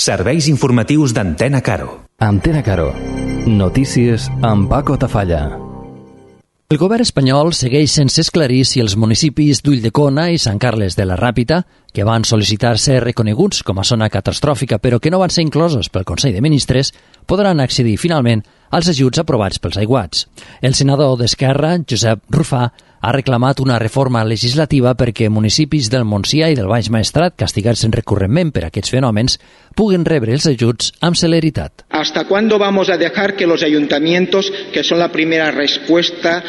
Serveis informatius d'Antena Caro. Antena Caro. Notícies amb Paco Tafalla. El govern espanyol segueix sense esclarir si els municipis d'Ulldecona i Sant Carles de la Ràpita, que van sol·licitar ser reconeguts com a zona catastròfica però que no van ser inclosos pel Consell de Ministres, podran accedir finalment als ajuts aprovats pels aiguats. El senador d'Esquerra, Josep Rufà, ha reclamat una reforma legislativa perquè municipis del Montsià i del Baix Maestrat, castigats recurrentment per aquests fenòmens, puguen rebre els ajuts amb celeritat. ¿Hasta cuándo vamos a dejar que los ayuntamientos, que son la primera respuesta,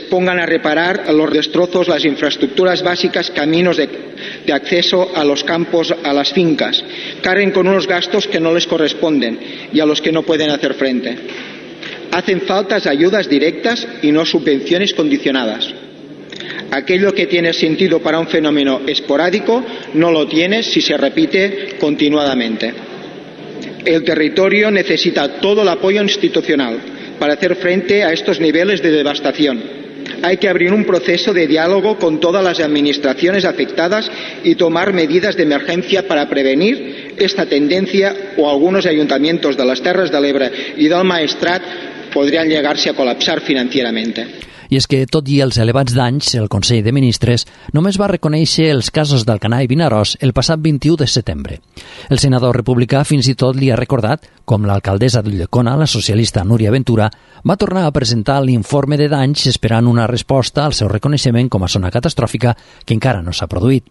pongan a reparar los destrozos, las infraestructuras básicas, caminos de acceso a los campos, a las fincas, carguen con unos gastos que no les corresponden y a los que no pueden hacer frente? Hacen falta ayudas directas y no subvenciones condicionadas. Aquello que tiene sentido para un fenómeno esporádico no lo tiene si se repite continuadamente. El territorio necesita todo el apoyo institucional para hacer frente a estos niveles de devastación. Hay que abrir un proceso de diálogo con todas las administraciones afectadas y tomar medidas de emergencia para prevenir esta tendencia, o algunos ayuntamientos de las Terres de l'Ebre y del Maestrat podrían llegarse a colapsar financieramente. I és que, tot i els elevats danys, el Consell de Ministres només va reconèixer els casos d'Alcanar i Vinaròs el passat 21 de setembre. El senador republicà fins i tot li ha recordat com l'alcaldessa d'Ulldecona, la socialista Núria Ventura, va tornar a presentar l'informe de danys esperant una resposta al seu reconeixement com a zona catastròfica que encara no s'ha produït.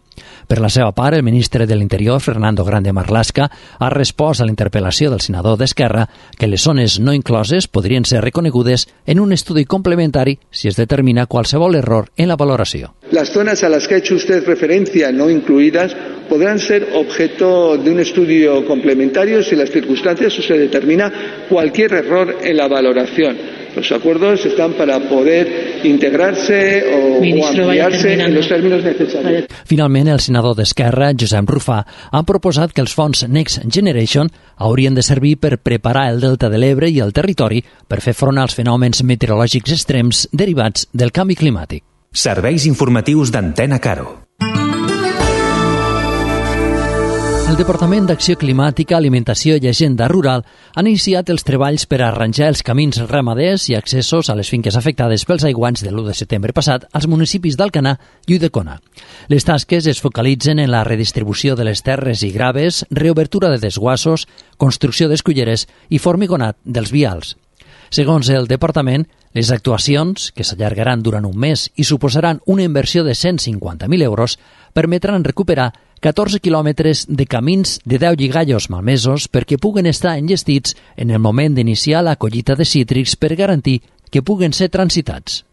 Per la seva part, el ministre de l'Interior, Fernando Grande Marlaska, ha respost a la interpel·lació del senador d'Esquerra que les zones no incloses podrien ser reconegudes en un estudi complementari si es determina qualsevol error en la valoració. Las zonas a las que ha hecho usted referencia no incluidas podrán ser objeto de un estudio complementario si las circunstancias o se determina cualquier error en la valoración. Los acuerdos están para poder integrarse o ampliarse en los términos necesarios. Finalment, el senador d'Esquerra, Josep Rufà, ha proposat que els fons Next Generation haurien de servir per preparar el delta de l'Ebre i el territori per fer front als fenòmens meteorològics extrems derivats del canvi climàtic. Serveis informatius d'Antena Caro. El Departament d'Acció Climàtica, Alimentació i Agenda Rural ha iniciat els treballs per arranjar els camins ramaders i accessos a les finques afectades pels aiguats de l'1 de setembre passat als municipis d'Alcanar i Ulldecona. Les tasques es focalitzen en la redistribució de les terres i graves, reobertura de desguassos, construcció d'esculleres i formigonat dels vials. Segons el departament, les actuacions, que s'allargaran durant un mes i suposaran una inversió de 150.000 euros, permetran recuperar 14 quilòmetres de camins de 10 lligallos malmesos perquè puguen estar enllestits en el moment d'iniciar la collita de cítrics per garantir que puguen ser transitats.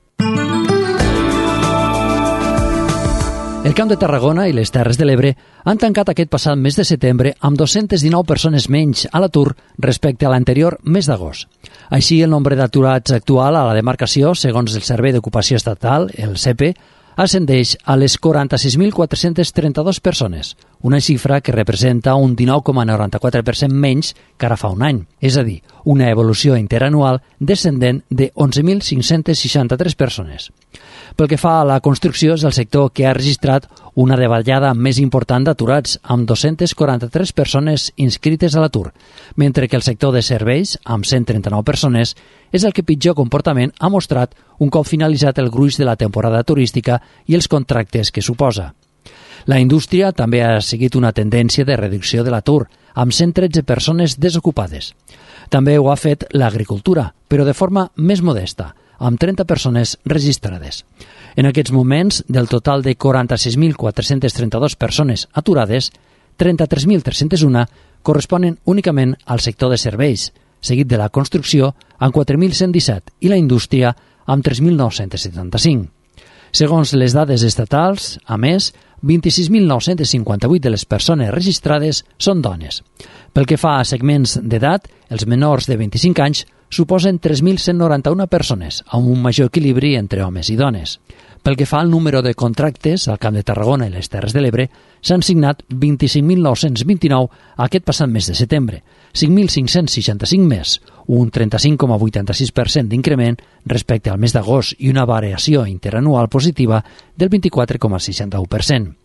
El Camp de Tarragona i les Terres de l'Ebre han tancat aquest passat mes de setembre amb 219 persones menys a l'atur respecte a l'anterior mes d'agost. Així, el nombre d'aturats actual a la demarcació, segons el Servei d'Ocupació Estatal, el SEPE, ascendeix a les 46.432 persones, una xifra que representa un 19,94% menys que ara fa un any, és a dir, una evolució interanual descendent de 11.563 persones. Pel que fa a la construcció, és el sector que ha registrat una davallada més important d'aturats, amb 243 persones inscrites a l'atur, mentre que el sector de serveis, amb 139 persones, és el que pitjor comportament ha mostrat un cop finalitzat el gruix de la temporada turística i els contractes que suposa. La indústria també ha seguit una tendència de reducció de l'atur, amb 113 persones desocupades. També ho ha fet l'agricultura, però de forma més modesta, amb 30 persones registrades. En aquests moments, del total de 46.432 persones aturades, 33.301 corresponen únicament al sector de serveis, seguit de la construcció amb 4.117 i la indústria amb 3.975. Segons les dades estatals, a més, 26.958 de les persones registrades són dones. Pel que fa a segments d'edat, els menors de 25 anys suposen 3.191 persones, amb un major equilibri entre homes i dones. Pel que fa al número de contractes al Camp de Tarragona i les Terres de l'Ebre, s'han signat 25.929 aquest passat mes de setembre, 5.565 més, un 35,86% d'increment respecte al mes d'agost i una variació interanual positiva del 24,61%.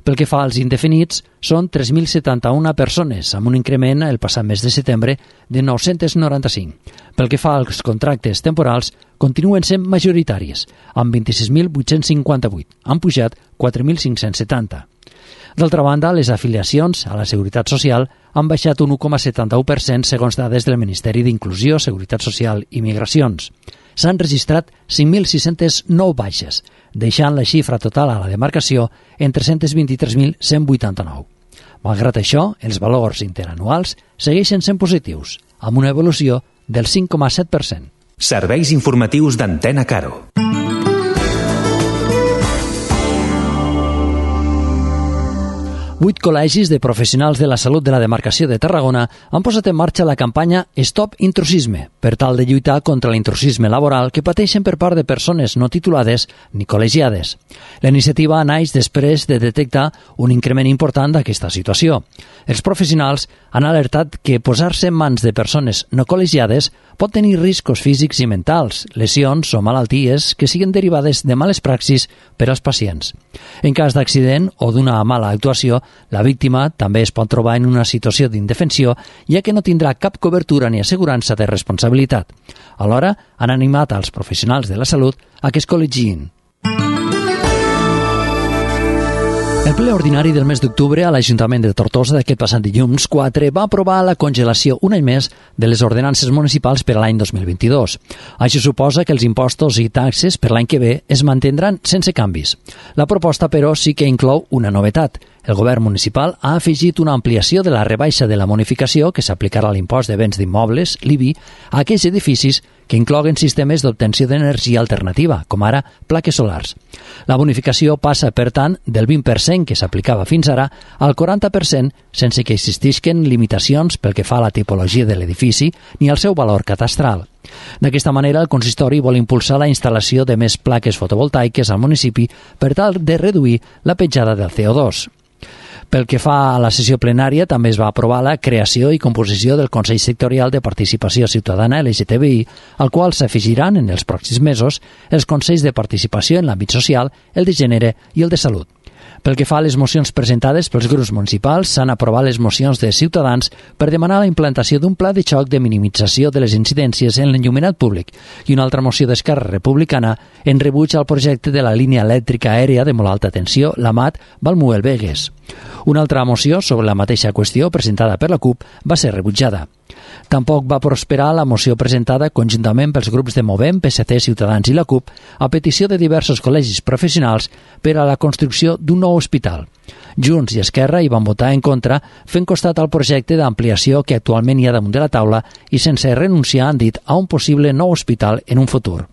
Pel que fa als indefinits, són 3.071 persones, amb un increment el passat mes de setembre de 995. Pel que fa als contractes temporals, continuen sent majoritaris, amb 26.858, han pujat 4.570. D'altra banda, les afiliacions a la Seguretat Social han baixat un 1,71% segons dades del Ministeri d'Inclusió, Seguretat Social i Migracions. S'han registrat 5.609 baixes, deixant la xifra total a la demarcació en 323.189. Malgrat això, els valors interanuals segueixen sent positius, amb una evolució del 5,7%. Serveis informatius d'Antena Caro. Vuit col·legis de professionals de la salut de la demarcació de Tarragona han posat en marxa la campanya Stop Intrusisme per tal de lluitar contra l'intrusisme laboral que pateixen per part de persones no titulades ni col·legiades. La iniciativa naix després de detectar un increment important d'aquesta situació. Els professionals han alertat que posar-se en mans de persones no col·legiades pot tenir riscos físics i mentals, lesions o malalties que siguin derivades de males praxis per als pacients. En cas d'accident o d'una mala actuació, la víctima també es pot trobar en una situació d'indefensió, ja que no tindrà cap cobertura ni assegurança de responsabilitat. Alhora, han animat als professionals de la salut a que es col·legiïn. El ple ordinari del mes d'octubre a l'Ajuntament de Tortosa d'aquest passat dilluns 4 va aprovar la congelació un any més de les ordenances municipals per a l'any 2022. Això suposa que els impostos i taxes per l'any que ve es mantindran sense canvis. La proposta, però, sí que inclou una novetat. El govern municipal ha afegit una ampliació de la rebaixa de la bonificació que s'aplicarà a l'impost de béns d'immobles, l'IBI, a aquells edificis que incloguen sistemes d'obtenció d'energia alternativa, com ara plaques solars. La bonificació passa, per tant, del 20% que s'aplicava fins ara al 40% sense que existisquen limitacions pel que fa a la tipologia de l'edifici ni al seu valor catastral. D'aquesta manera, el consistori vol impulsar la instal·lació de més plaques fotovoltaiques al municipi per tal de reduir la petjada del CO2. Pel que fa a la sessió plenària, també es va aprovar la creació i composició del Consell Sectorial de Participació Ciutadana LGTBI, al qual s'afegiran en els pròxims mesos els Consells de Participació en l'àmbit social, el de gènere i el de salut. Pel que fa a les mocions presentades pels grups municipals, s'han aprovat les mocions de Ciutadans per demanar la implantació d'un pla de xoc de minimització de les incidències en l'enllumenat públic i una altra moció d'Esquerra Republicana en rebuig al projecte de la línia elèctrica aèria de molt alta tensió, la MAT Valmuel-Begues. Una altra moció sobre la mateixa qüestió presentada per la CUP va ser rebutjada. Tampoc va prosperar la moció presentada conjuntament pels grups de Movem, PSC, Ciutadans i la CUP a petició de diversos col·legis professionals per a la construcció d'un nou hospital. Junts i Esquerra hi van votar en contra, fent costat al projecte d'ampliació que actualment hi ha damunt de la taula i sense renunciar, han dit, a un possible nou hospital en un futur.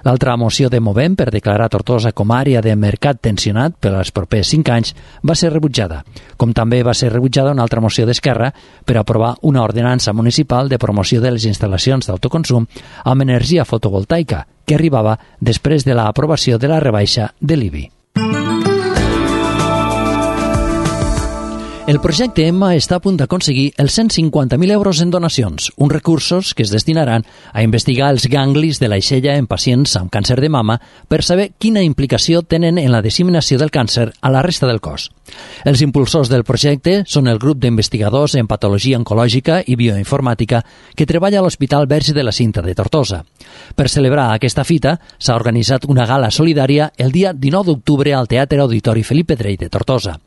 L'altra moció de Movem per declarar Tortosa com a àrea de mercat tensionat per als propers 5 anys va ser rebutjada, com també va ser rebutjada una altra moció d'Esquerra per aprovar una ordenança municipal de promoció de les instal·lacions d'autoconsum amb energia fotovoltaica, que arribava després de l'aprovació de la rebaixa de l'IBI. El projecte Emma està a punt d'aconseguir els 150.000 euros en donacions, uns recursos que es destinaran a investigar els ganglis de l'aixella en pacients amb càncer de mama per saber quina implicació tenen en la disseminació del càncer a la resta del cos. Els impulsors del projecte són el grup d'investigadors en patologia oncològica i bioinformàtica que treballa a l'Hospital Verge de la Cinta de Tortosa. Per celebrar aquesta fita, s'ha organitzat una gala solidària el dia 19 d'octubre al Teatre Auditori Felip Pedrell de Tortosa.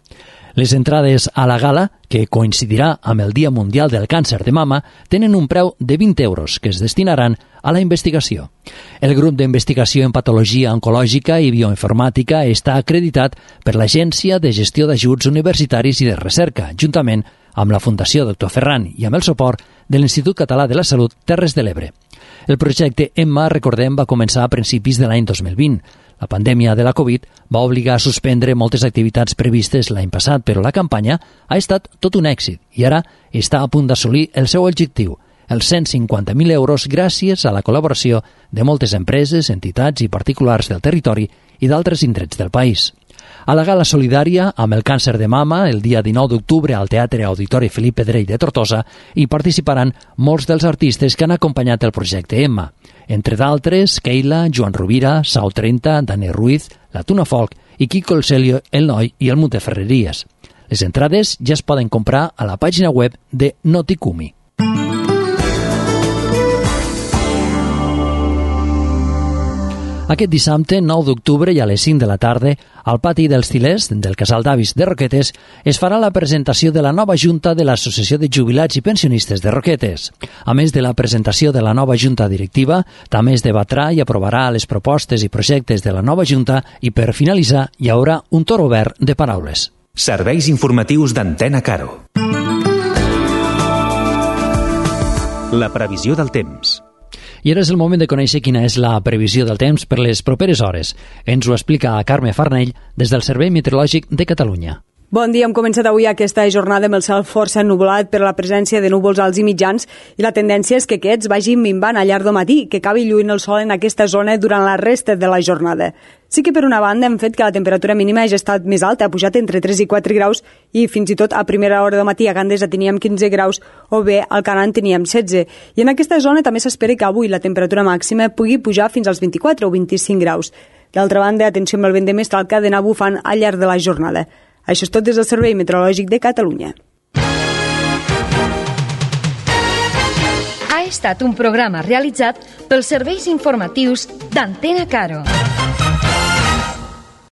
Les entrades a la gala, que coincidirà amb el Dia Mundial del Càncer de Mama, tenen un preu de 20 euros que es destinaran a la investigació. El grup d'investigació en patologia oncològica i bioinformàtica està acreditat per l'Agència de Gestió d'Ajuts Universitaris i de Recerca, juntament amb la Fundació Dr. Ferran i amb el suport de l'Institut Català de la Salut Terres de l'Ebre. El projecte Emma, recordem, va començar a principis de l'any 2020. La pandèmia de la Covid va obligar a suspendre moltes activitats previstes l'any passat, però la campanya ha estat tot un èxit i ara està a punt d'assolir el seu objectiu, els 150.000 euros gràcies a la col·laboració de moltes empreses, entitats i particulars del territori i d'altres indrets del país. A la gala solidària amb el càncer de mama, el dia 19 d'octubre al Teatre Auditori Felip Pedrell de Tortosa, hi participaran molts dels artistes que han acompanyat el projecte Emma. Entre d'altres, Keila, Joan Rovira, Sau 30, Dani Ruiz, la Tuna Folk i Quico el Celio, el Noi i el Monteferreries. Les entrades ja es poden comprar a la pàgina web de Noticumi. Aquest dissabte, 9 d'octubre, i a les 5 de la tarda, al pati dels Tilers, del Casal d'Avis de Roquetes, es farà la presentació de la nova Junta de l'Associació de Jubilats i Pensionistes de Roquetes. A més de la presentació de la nova Junta Directiva, també es debatrà i aprovarà les propostes i projectes de la nova Junta i, per finalitzar, hi haurà un torn obert de paraules. Serveis informatius d'Antena Caro. La previsió del temps. I ara és el moment de conèixer quina és la previsió del temps per les properes hores. Ens ho explica Carme Farnell des del Servei Meteorològic de Catalunya. Bon dia, hem començat avui aquesta jornada amb el cel força ennubulat per la presència de núvols alts i mitjans i la tendència és que aquests vagin minvant al llarg del matí, que acabi lluint el sol en aquesta zona durant la resta de la jornada. Sí que per una banda hem fet que la temperatura mínima hagi estat més alta, ha pujat entre 3 i 4 graus i fins i tot a primera hora del matí a Gandesa teníem 15 graus o bé al Canant teníem 16. I en aquesta zona també s'espera que avui la temperatura màxima pugui pujar fins als 24 o 25 graus. D'altra banda, atenció amb el vent de mestral que ha d'anar bufant al llarg de la jornada. Això és tot des del Servei Meteorològic de Catalunya. Ha estat un programa realitzat pels serveis informatius d'Antena Caro.